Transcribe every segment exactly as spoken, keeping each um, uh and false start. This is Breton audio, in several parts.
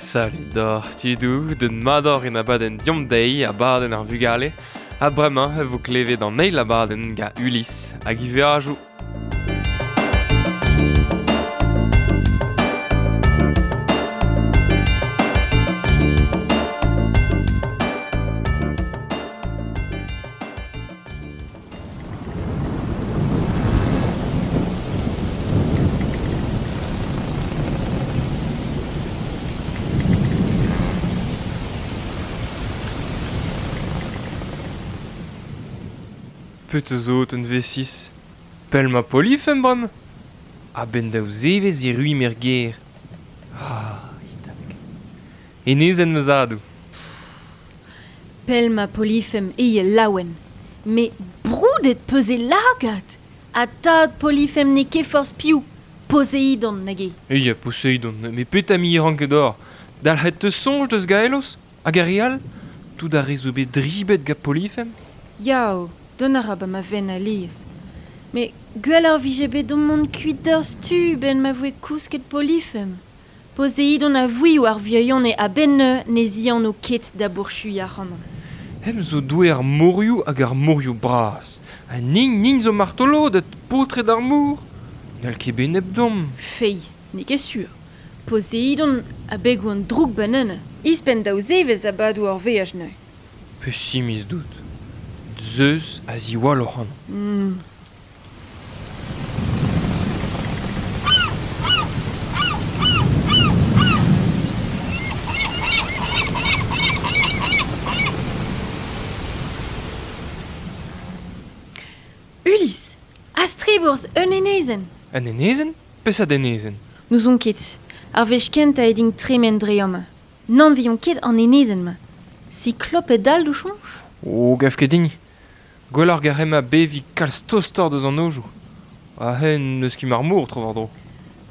Salut d'or, tudou, den mador en abadenn diom deiz, abadenn ar vugale, ha bremañ e vo klevet an eil abadenn ga Ulysse hag i veajoù. Pet zo un V six. Pell ma Polifem brem. A ben daou zevez e rui mer ger. Ah, itak. Enezen ma zadou. Pell ma Polifem e laouen. Me broudet peus e lagad. Ha tad Polifem ne ket forzh piv. Poseidon nage. Eia, Poseidon. Me pet ami ranket d'or. Dalc'het te soñj deus Gaelos? Hag ar re all? Tout ar re zo bet dribet gant Polifem? Yao. Don a ra ba ma ven alies. Me gwell ar vije bet d'on mont kuit d'ur stu ben ma voe kousket Polifem. Poseidon a vouioù ar vieion e a-benn ne zian o ket da bourchui ar c'hanon. Hem zo doue ar morioù hag ar morioù bras. Ha nin nin zo martoloded, paotred ar mor. N'hall ket bet nep dom. Fei, n'eo ket sur. Poseidon a begoù an droug banane. Ispenn daou zevez a badoù ar veaj neuze. Pessimiz dout. Zeus a ziwall oc'han. Mm. Ulysse, a-strebourz un enezenn. Un enezenn? Peseurt enezenn? N'ouzon ket. Ar wech kentañ eo din tremen dre amañ. N'anveomp ket an enezenn-mañ. Sikloped all d'o soñj? Oh, gav ket din. Gwell ar garema bevi kalz tostoc'h deus an ojoù. Ha hen n'eus ket mar mor tro war-dro.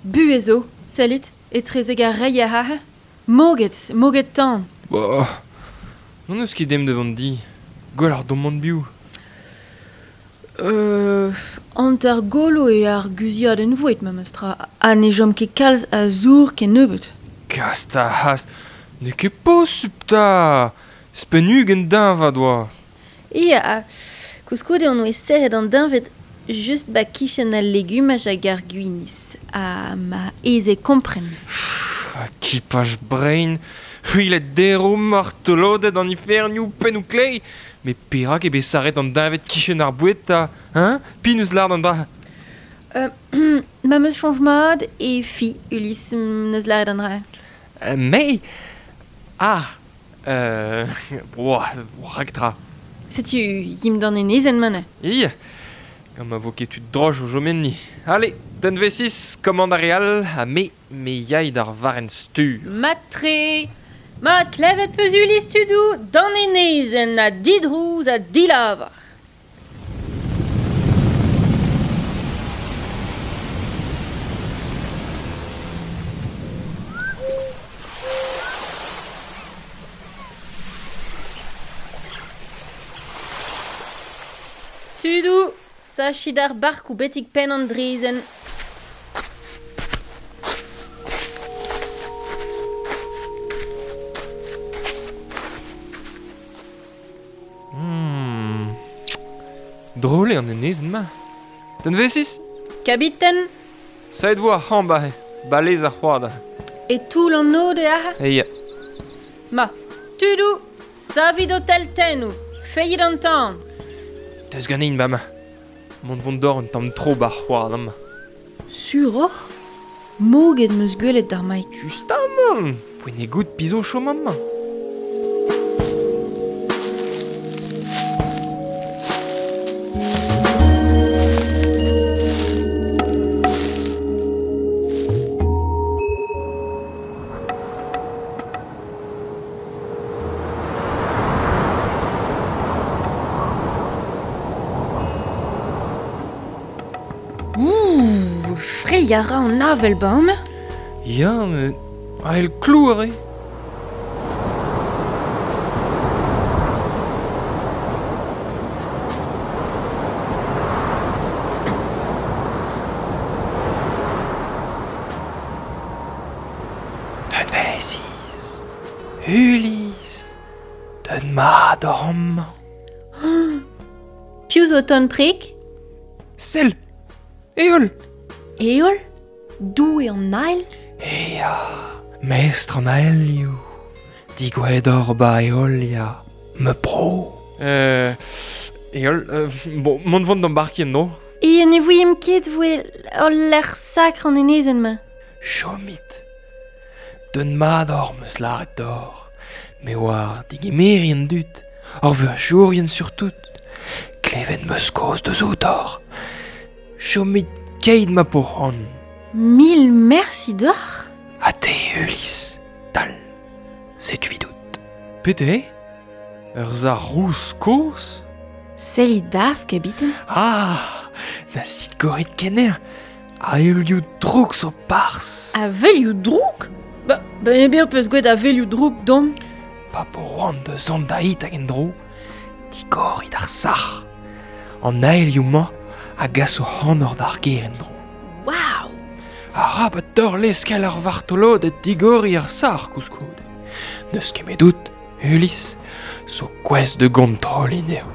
Buhez zo, salut, etrezek ar reier aze. Moged, moged tan. Bah, n'on eus ket dem devant di. Gwell ar domant biv. Euh, hanter golo eo ar guziadenn vouet, memes tra. Ha ne chom ket kalz a zour ken nebeut. Kast a hast, n'eo ket posupl 'ta. Spenn ugent deñvad oa. Ia, koulskoude on oe serret an deñved just ba kichen al legumaj hag ar gwinizh. Ha ma aes eo kompren. Ha kipaj brein, c'hwilet dero, martoloded an ifernioù, pennoù klei. Me perak eo bet sarret an deñved kichen ar boued 'ta, hein? Pin eus lard an dra. Euh, ma meus soñj mat e fi, Ulysse, n'eus lâret an dra. Euh, me Ah Euh, boah, raktra. Setu yim d'an enezenn mañ. Ia, gant ma vo ket tud droch o jomenni. Allez, den V six, commande ar re all, ha me, me yay d'ar varrenn stur. Matre, ma klevet peus Ulysse tudou, d'an enezenn ha didrouz ha dilavar. Tudou, sachit ar barkoù betek penn an drezenn. Hmm. Drôle eo an enezenn-mañ. Den V six? Kabiten? Saet vo ar c'hamp aze, balez ar c'hoad aze. E toull an ode aze? Eia. Ma, tudou, savit ho teltennoù, feillit an tan. Deus ganin, ba ma. Mont vont d'or un tamm tro bar c'hoad amañ. Sur oc'h? Moged meus gwelet d'ar maik. Justamant! Poent eo goût pizo chom amañ. Ouh, freilh a ra an avel ba amañ. Ya, met ael klouar eo. Den V six. Ulysse, deut mat oc'h amañ. Piv zo ton prik? Sell, Eol. Eol? Doue an ael? Ea, mestr an aelioù. Digouet oc'h ba Eolia. Me pro. Euh, Eol, euh, bon, mont vont d'embarquer no? E ne vouiem ket voe ul lec'h sakr an enezenn-ma. Chomit. Deut mat oc'h meus lâret deoc'h. Me oar digemeri an dud, ar veajourien surtout. Klevet meus kaoz deus outoc'h. Chomit keit ma po c'hoant. Mil mersi deoc'h. Ha te, Ulysse, dal, setu vidout. Pete? Ur zar rous kozh? Sellit barzh, kabiten. Ah, na sit goret kener. Avelioù drouk zo barzh. Avelioù drouk? Ba, ben ebir peus gwet avelioù drouk dom. Pa po c'hoant da zont da hit hag en-dro, digorit ar sac'h. An aelioù-mañ a gaso c'hanoc'h d'ar gêr en-dro. Waouh! Arabat deoc'h leskel ar vartoloded digoriñ ar sac'h koulskoude. N'eus ket medout, Ulysse, zo gouest da gontrolliñ anezho.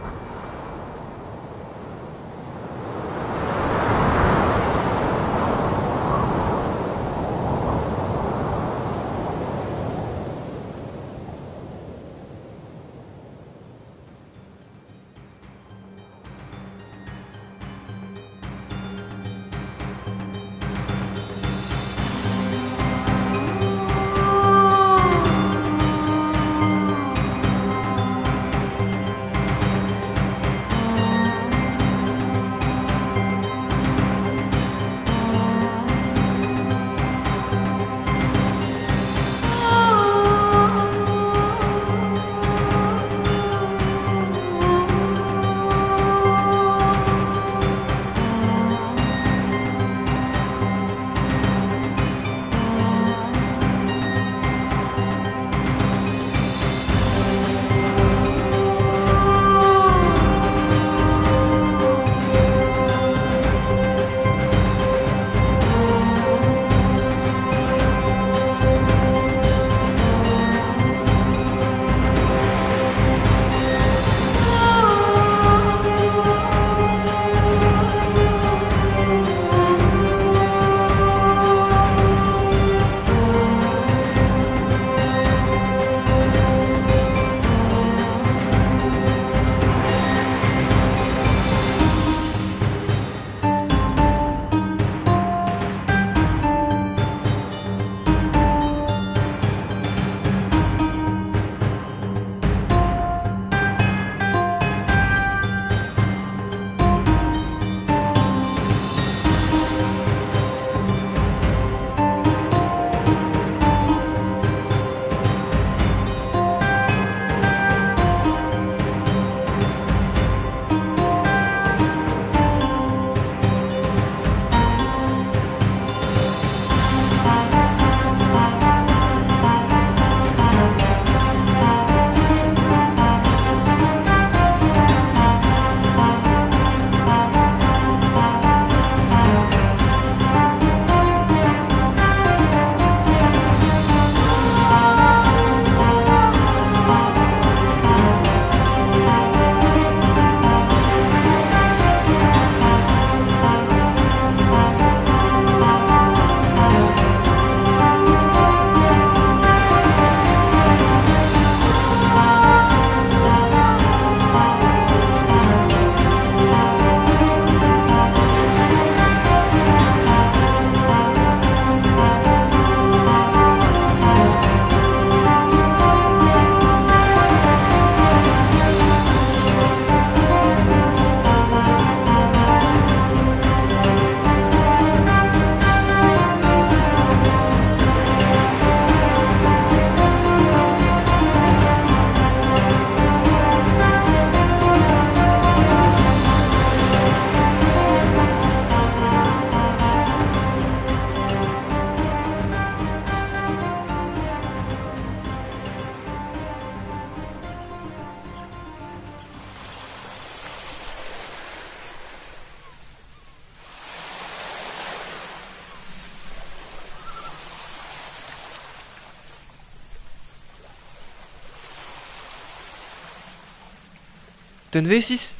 Tenvesis,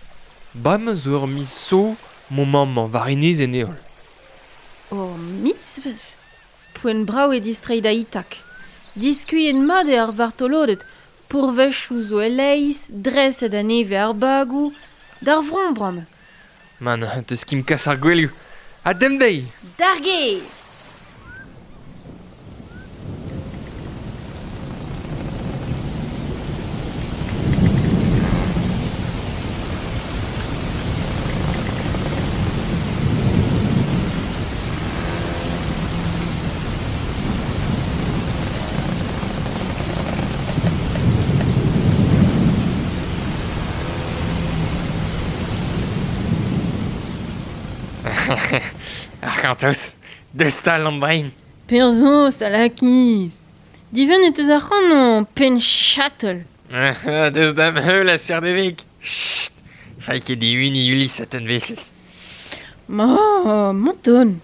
bremañ zo ur miz so mon mamm war enez en heol. Ur mizvezh? Poent brav eo distreiñ da Itak. Diskuilhet mat eo ar vartoloded, pourvezhioù zo e-leizh, dreset a-nevez ar bagoù, d'ar vro bremañ. Man, teus ket kas ar gwelioù. Ha demp dezhi! D'ar gêr! Arc'hantos, deus tal an brein. Perzo, salakiz. Divennet eus ar c'hanon, penn chatel. Deus dam heul a ser devek. Chut, fai ket diwini Ulysse a tenvesel. Ma, monton.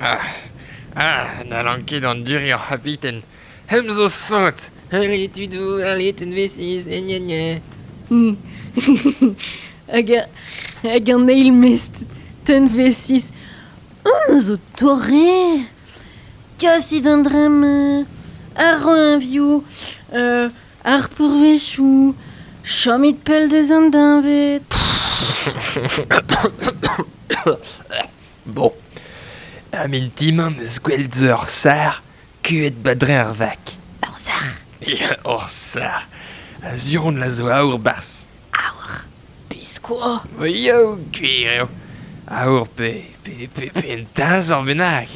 Ah, ah, n'hallan ket an duri ar c'habiten. Hem zo sot. Allez, tudou, allez, tenvesiz, gna gna gna. Hag, hag an eil mest, tenvesiz. On zo torre. Kasit an dremm, ar roinvioù, euh, ar pourvezhioù, chomit pell deus an deñved. Bon. A min timañ eus gwell zo ur sar, kuet badre ar vak. Ur sar? Ya, ur sar. A zuron la zo aour bars. Aour? Biskoa? Yo, gwir eo. Aour pe, pe, pe, pe un teñzor bennak.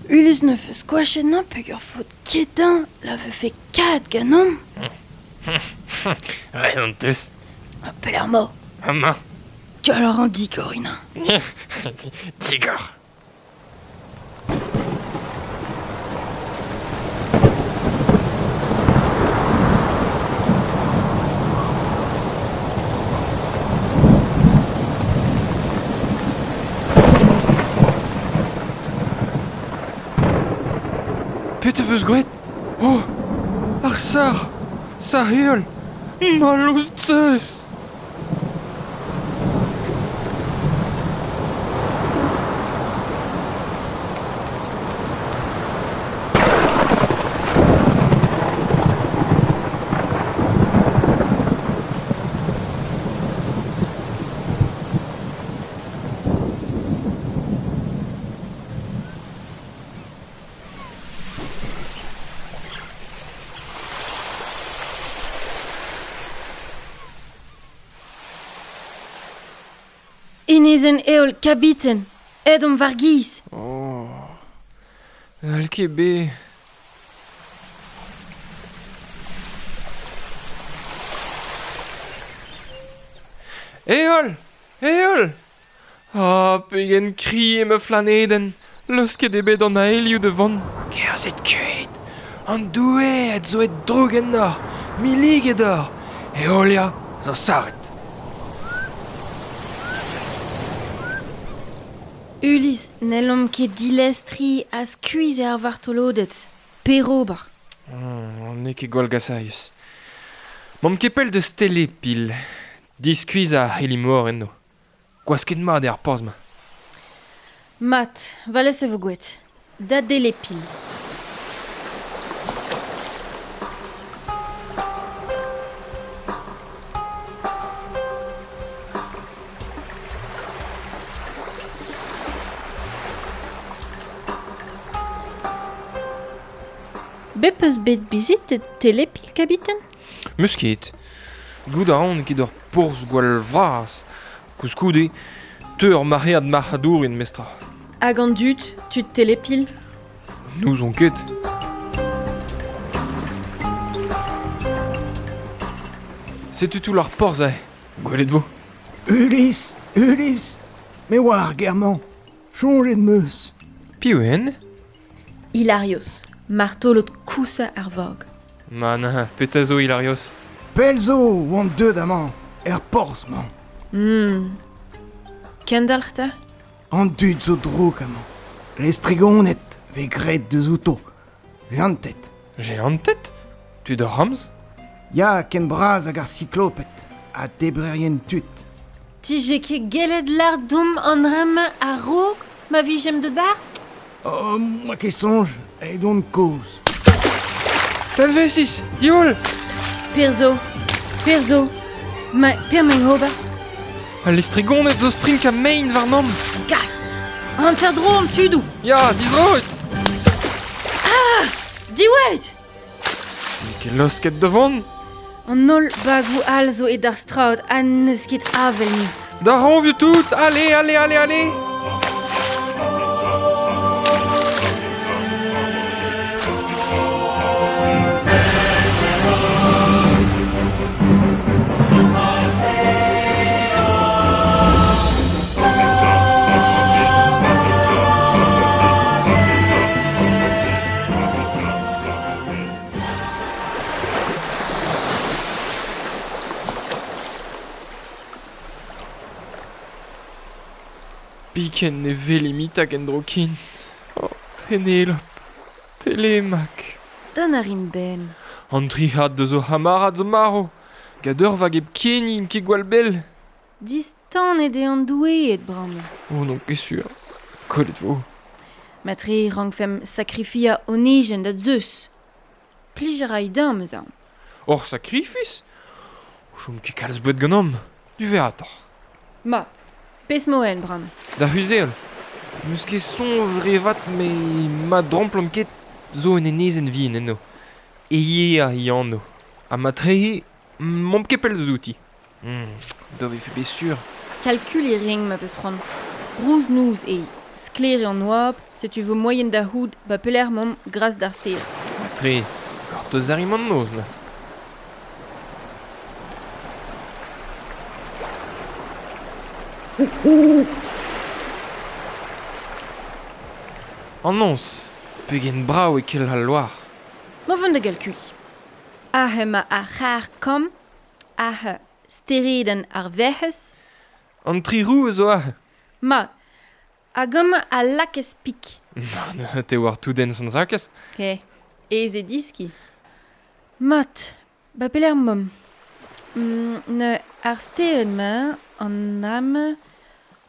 Ulus ne feus skoachet nañ peogwir faot ketin la vefe kad ganeomp. Ouais, on teus. A pelec'h emañ? Amañ. Gallout an digor, ina. Digor. Petra peus graet? Oh, ar sar! Sar heol! Mallozh Zeus! Enezenn heol, kabiten, aet omp war giz. Oh, n'hall ket bet. Heol! Heol! Ah, pegen kri eo ma flanedenn. Leusket eo bet an aelioù da vont. Kerzhet kuit! An doueed zo aet droug ennoc'h, milliget oc'h. Heolia zo sarret. Ulysse, n'hellomp ket dilestriñ ha skuizh ar vartoloded. Perober. Mm, n'eo ket gwall gasailhus. M'omp ket pell deus Telepil. Diskuizh ar c'helimor enno. Gwasket mat eo ar porzh-mañ. Mat, va lez e vo gwelet. Da Delepil. Bet peus bet bizitet Telepil, kabiten? Meus ket. Goût a ran ket ur porzh gwall vras. Koulskoude, teu ur maread marc'hadourien mestra. Hag an dud, tud Telepil? N'ouzon ket. Setu tout ar porzh aze. Gwelet vo. Ulysse, Ulysse, me oar ar ger-mañ. Soñjet 'm eus. Piv eo en? Hilarios, martolod kousañ ar vag. Man, petra zo Hilarios? Pell zo oan deuet amañ, er porzh-mañ. Hmm. Kendalc'h 'ta? An dud zo drouk amañ. Lestrigoned vez graet deus outo. Jeantet. Jeantet? Tud ur ramz? Ya, ken bras hag ar sikloped, ha debrerien tud. Tije ket gellet lar dom an ram a-raok ma vijem de barz? Oh, ma ket soñj, edon kozh. Talvesis, diwall! Perzo, perzo, ma, per m'en ober. Al lestrigoned zo strink a mein warnom. Gast! Hanter-dro an tudou! Ya, dizroit! Ah! Diwallit! N'eo ket losket da vont. An holl bagou all zo e d'ar straod ha n'eus ket avel ni. Da ranvioù tout! Allez, allez, allez, allez! Biken ne velimit hag en drokin. Oh, Penelope, Telemac. Dont a rin ben. An trihad deus o hamarad zo maro. Gant ur vag hep ken int ket gwall bell. Distan eo an doueed bremañ. Oh non, ket sur. Kollet vo. Matre rankfemp sakrifia onejen da Zeus. Plij a ray din, meus aon. Hor sakrifis? Chom ket kalz boued ganeomp. Du verratoc'h. Ma, pes moen bremañ. Da huzeol. N'eus ket soñj re vat me ma dromplon ket zo en enezenn vihan eno. Eie a anv. Ha ma trehe, m'omp ket pell deus outi. Hmm, do vefe bet sur. Kalkul e ring ma peus c'hoant. Rouz nouz eo. Sklaer eo an oabl, setu vo moaien da c'hoût ba pelec'h m'omp gras d'ar stêr. Matre, gortoz a rimp an noz, na. An noz, pegen brav e kel al loar. Ma vont da galkuliñ. Ahe ma ar c'har kamm, ahe steredenn ar Werc'hez. An tri roue zo ahe. Ma, hag amañ a lakez pik. Nann, te war tout en sant-Jakez. He, aes eo diski. Mat, ba pelec'h m'omp. Mm, ne ar stered-mañ, an am...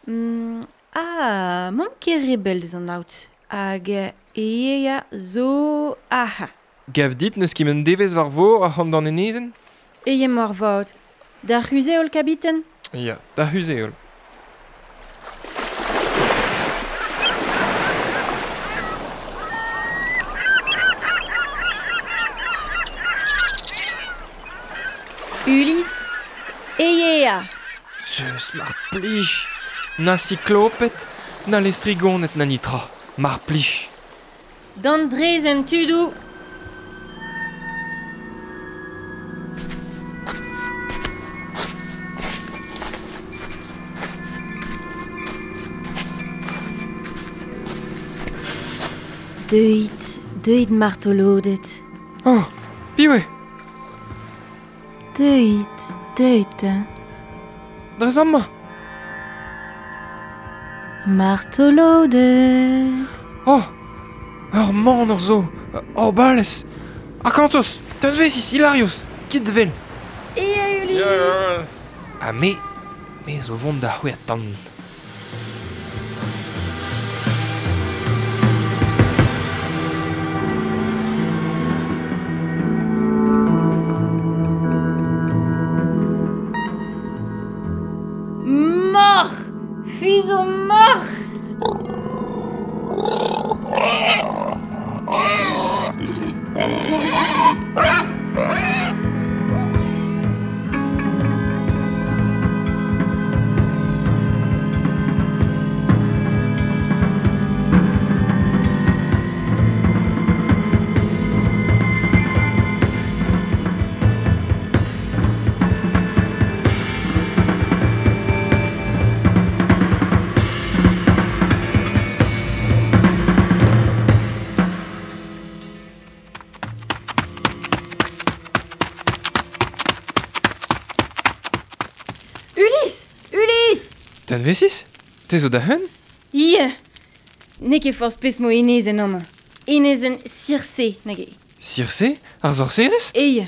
Mm, ah, m'omp ket re bell deus an aod. Hag Eia zo aha. Gav dit n'eus ket un devezh war vor ac'hann d'an enezenn? Eia moarvat. D'ar c'huzh-heol, kabiten? Ya, d'ar c'huzh-heol. Ulysse, Eia! Zeus, mar plij! Na sikloped, na lestrigoned na nitra. Mar plij! D'an drezenn tudou! Deuit, deuit martoloded. Oh, piv eo? Deuit, deuit. Dres amañ. Martoloded. Oh, ur manor zo, ur balez. Akantos, Tanvesis, Hilarios, kit vel. Ea Ulysse. Ha me, me zo vont da c'hwec'h tan. Moc'h! Fuiz zo moc'h! Ulysse! Ulysse! Tanvesis? Te zo da hun? Ie. N'eo ket forzh pezh mo enezenn amañ. Enezenn Circe, nag eo. Circe? Ar sorserez? Eo.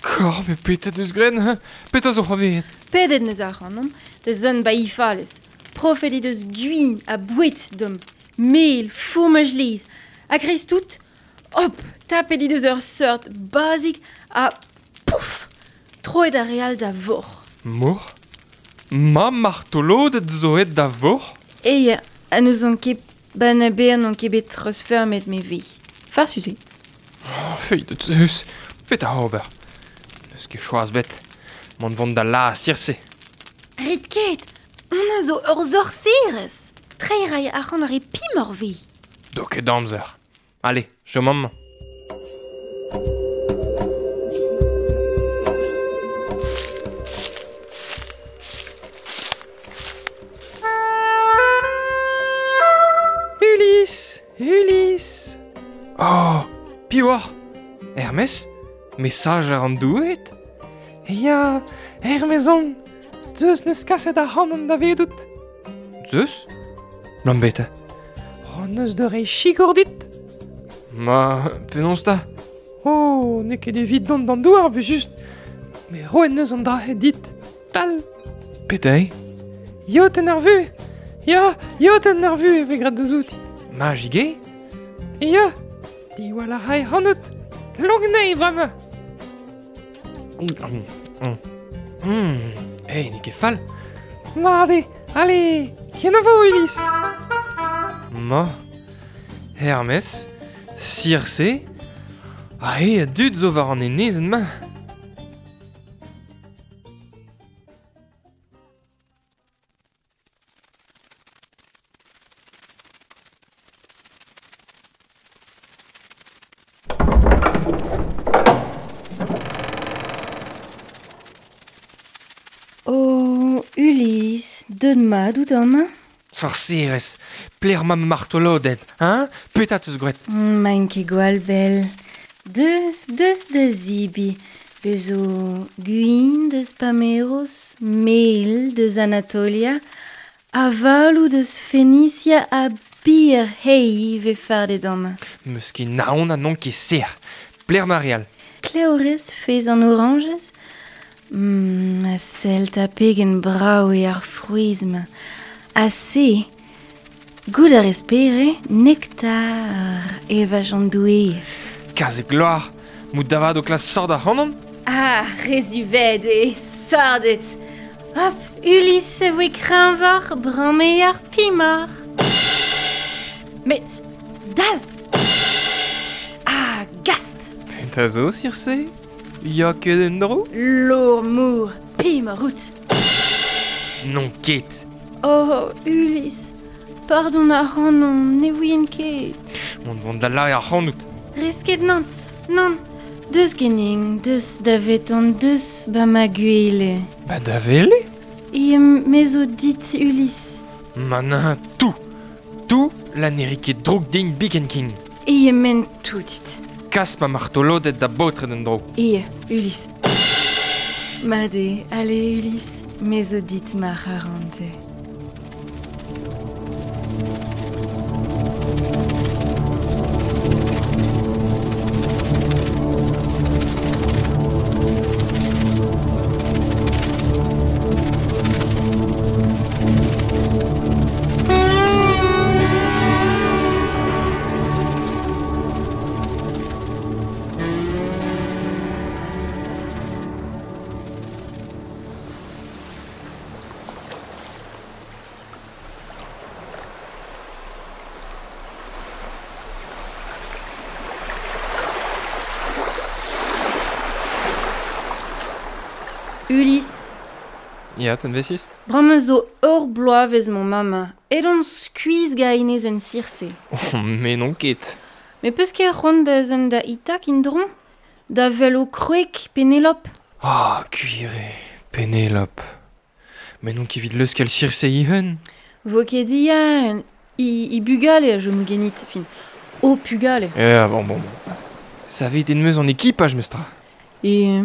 Kor, me petra deus graet, hein? Petra zo c'hoarvezet? Pedet neus ac'hanomp da zont ba he falez. Profet he deus gwin ha boued deomp. Mel, fourmaj laezh. Ha kreiz tout, hop, tapet he deus ur seurt bazig ha pouf, troet ar re all da vor. Mor? Ma martoloded zo aet da vor? Eo, ha n'ouzon ket ba na ber n'on ket bet treuzfeurmet me vi. Farsus eo. Oh, fei de Zeus, petra ober? N'eus ket choaz bet. Mont vont da la Circe. Rit ket, on a zo ur sorserez. Treiñ ray ac'han ar e pimor vi. Do ket amzer. Allez, chom amañ. Ulysse, Ulysse. Oh, piv oc'h? Hermès? Mesajer an doueed? Ya, Hermès on. Zeus neus kaset ac'hanon davedout. Zeus? Lambeta. Oh, neus de reiñ sikour dit. Ma, penaos ta? Oh, n'eo ket evit dont d'an douar, vu just. Mais roet neus an dra dit. Tal. Petra eo? Yotenn ar vue. Ya, yotenn ar vue e vez graet deus outi. Magig eo? Ya, diwall a ray ac'hanout. Lonk anezhi bremañ. Mm, mm. Mm. Ei, n'eo ket fall. Mat eo, allez, kenavo Ulysse. Ma, Hermès, Circe, ha eo a dud zo war an enezenn-mañ. Oh, Ulysse, deut mat out amañ? Sorserez, pler ma martoloded, hein? Petra teus graet? Maint ket gwall bell. Deus, deus da zibi. Bez zo gwin deus Pameros, mel deus Anatolia, avaloù deus Fenicia ha bir hei ve fardet amañ. Meus ket naon ha n'on ket sec'h. Pler ma re all. Klev rez fez an orañjez? Mm, a sell ta pegen brav eo ar frouezh-mañ. Ha se, goût a rez pere, nektar evaj an doueed. Kaze gloar, mout davad o klas sord ac'hanon? Ah, re zuvet eo, sordet. Hop, Ulysse e voe kreñvoc'h, bremañ eo ar pimoc'h. Met, dal! Ah, gast! Petra zo, Circe? Ya ket en-dro? Lourd-mour, pimoc'h out. N'on ket. Oh, Ulysse, pardon ac'hanon, ne ouien ket. Mont vont da lâret ac'hanout. Rez ket nann, nann. Deus genin, deus daveton, deus ba ma gwele. Ba da wele? E me zo dit, Ulysse. Ma nan, tout. Tout la ne ri ket droug din biken ken. E men tout dit. Kas ma martoloded da baotred en-dro. E, Ulysse. Mat eo, allez, Ulysse, me zo dit ma c'harante. Ulysse. Ya, tenvesis? Bremañ zo ur bloavezh mon mamma. Edon skuizh ga enezenn Circe. Oh, me n'on ket. Me peus ket c'hoant da zont da Ithak indron? Da wel o kroeg Penelope? Ah, oh, gwir eo, Penelope. Me n'on ket evit leuskel Circe he-hun. Vo ket diaen. I, i bugale a chomo ganit, fin. O pugale. Eh, bon, bon, bon. Savet en meus an ekipaj, mestra. E...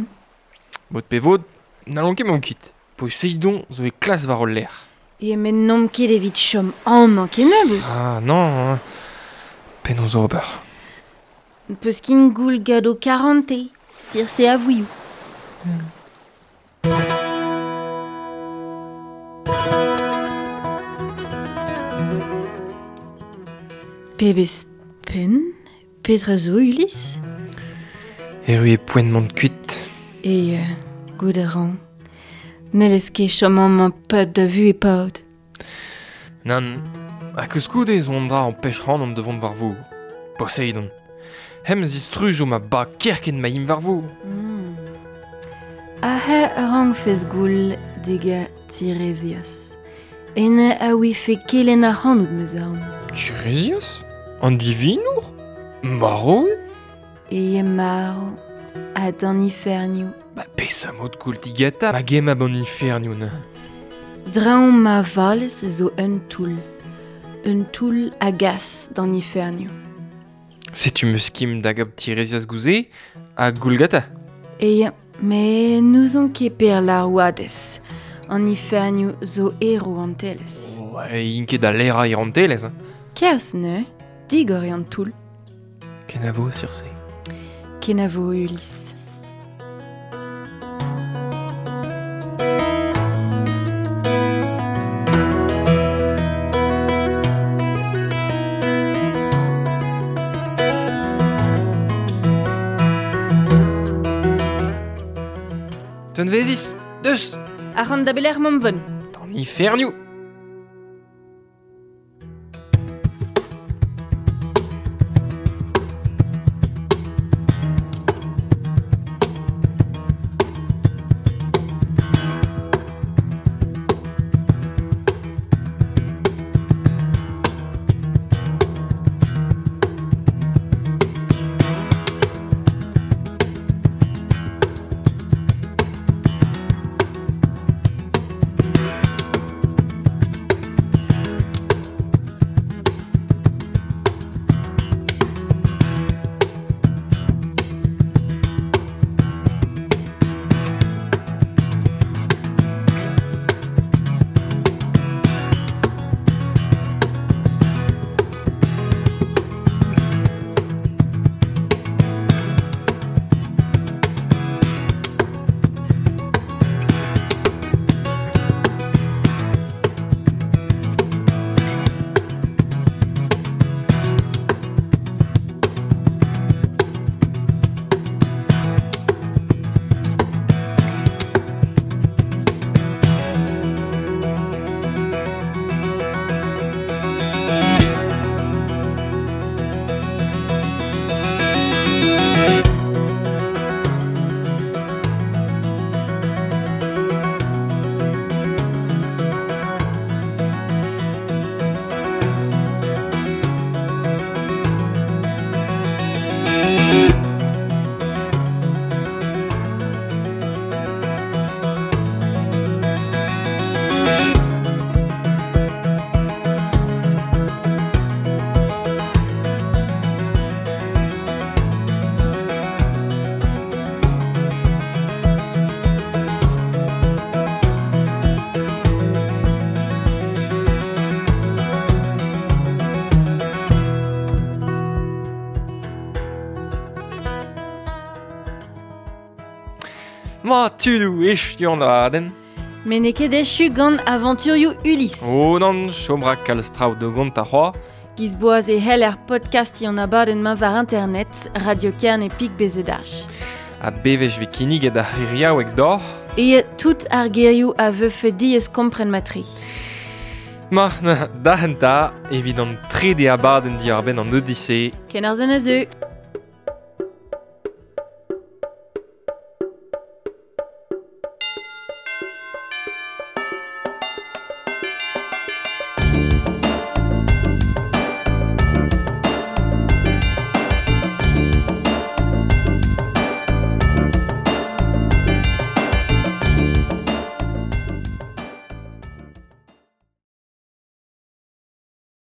Mod pe vod, n'allon ket mont kuit. Poseidon zo e klas war ul lec'h. E met n'omp ket evit chom amañ kennebeut. Ah non, penaos ober. Peus kin goul gado karante, Circe a vouioù. Hmm. Pebez pen, petra zo, Ulysse? Erru e poent mont kuit. E, uh, gout a ran. N'hellez ket chom amañ pad da vu e paot. Nann, ha koulskoude zo an dra an pech ran an devont war vor. Poseidon. Hem zistrujo ma ba kerken ma im war vor. Mm. Ahe rang fez goul diga Tiresias. Ene a ouife kelen ar c'hanout meus aon. Tiresias? An divinour? Maro eo? E maro, ha d'an ifernioù. Ba pesa mod goul digata ma gem ab an ifernioù na. Draon ma valez zo un toull. Un toull a gas d'an ifernioù. Setu meus kim da gab Tiresias gouze ha goulgata. E me n'ouzon ket per la oadez. An ifernioù zo ero an telez. Oh, e int ket da lera ir an telez. Kerzh neuze, digor eo an toull. Kenavo, Circe. Kenavo, Ulysse. Tenvezis, deus! Ar da beler mamvon. D'an ifernioù! Ma tudoù echu an abadenn. Met n'eo ket echu gant avanturioù Ulysse. Oh nann, chom ra kalz traoù da gont ar c'hoaz. Giz boaz e hell er podcast an abadenn-mañ war internet, Radio Kerne pik bezedach. A bevech vez kinniget ar c'hiriaoueg doc'h. E tout ar gerioù a vefe diaes kompren matri. Ma, da henta, evit an trede abadenn diarbenn an Odyssée. Ken ar zen a zeu.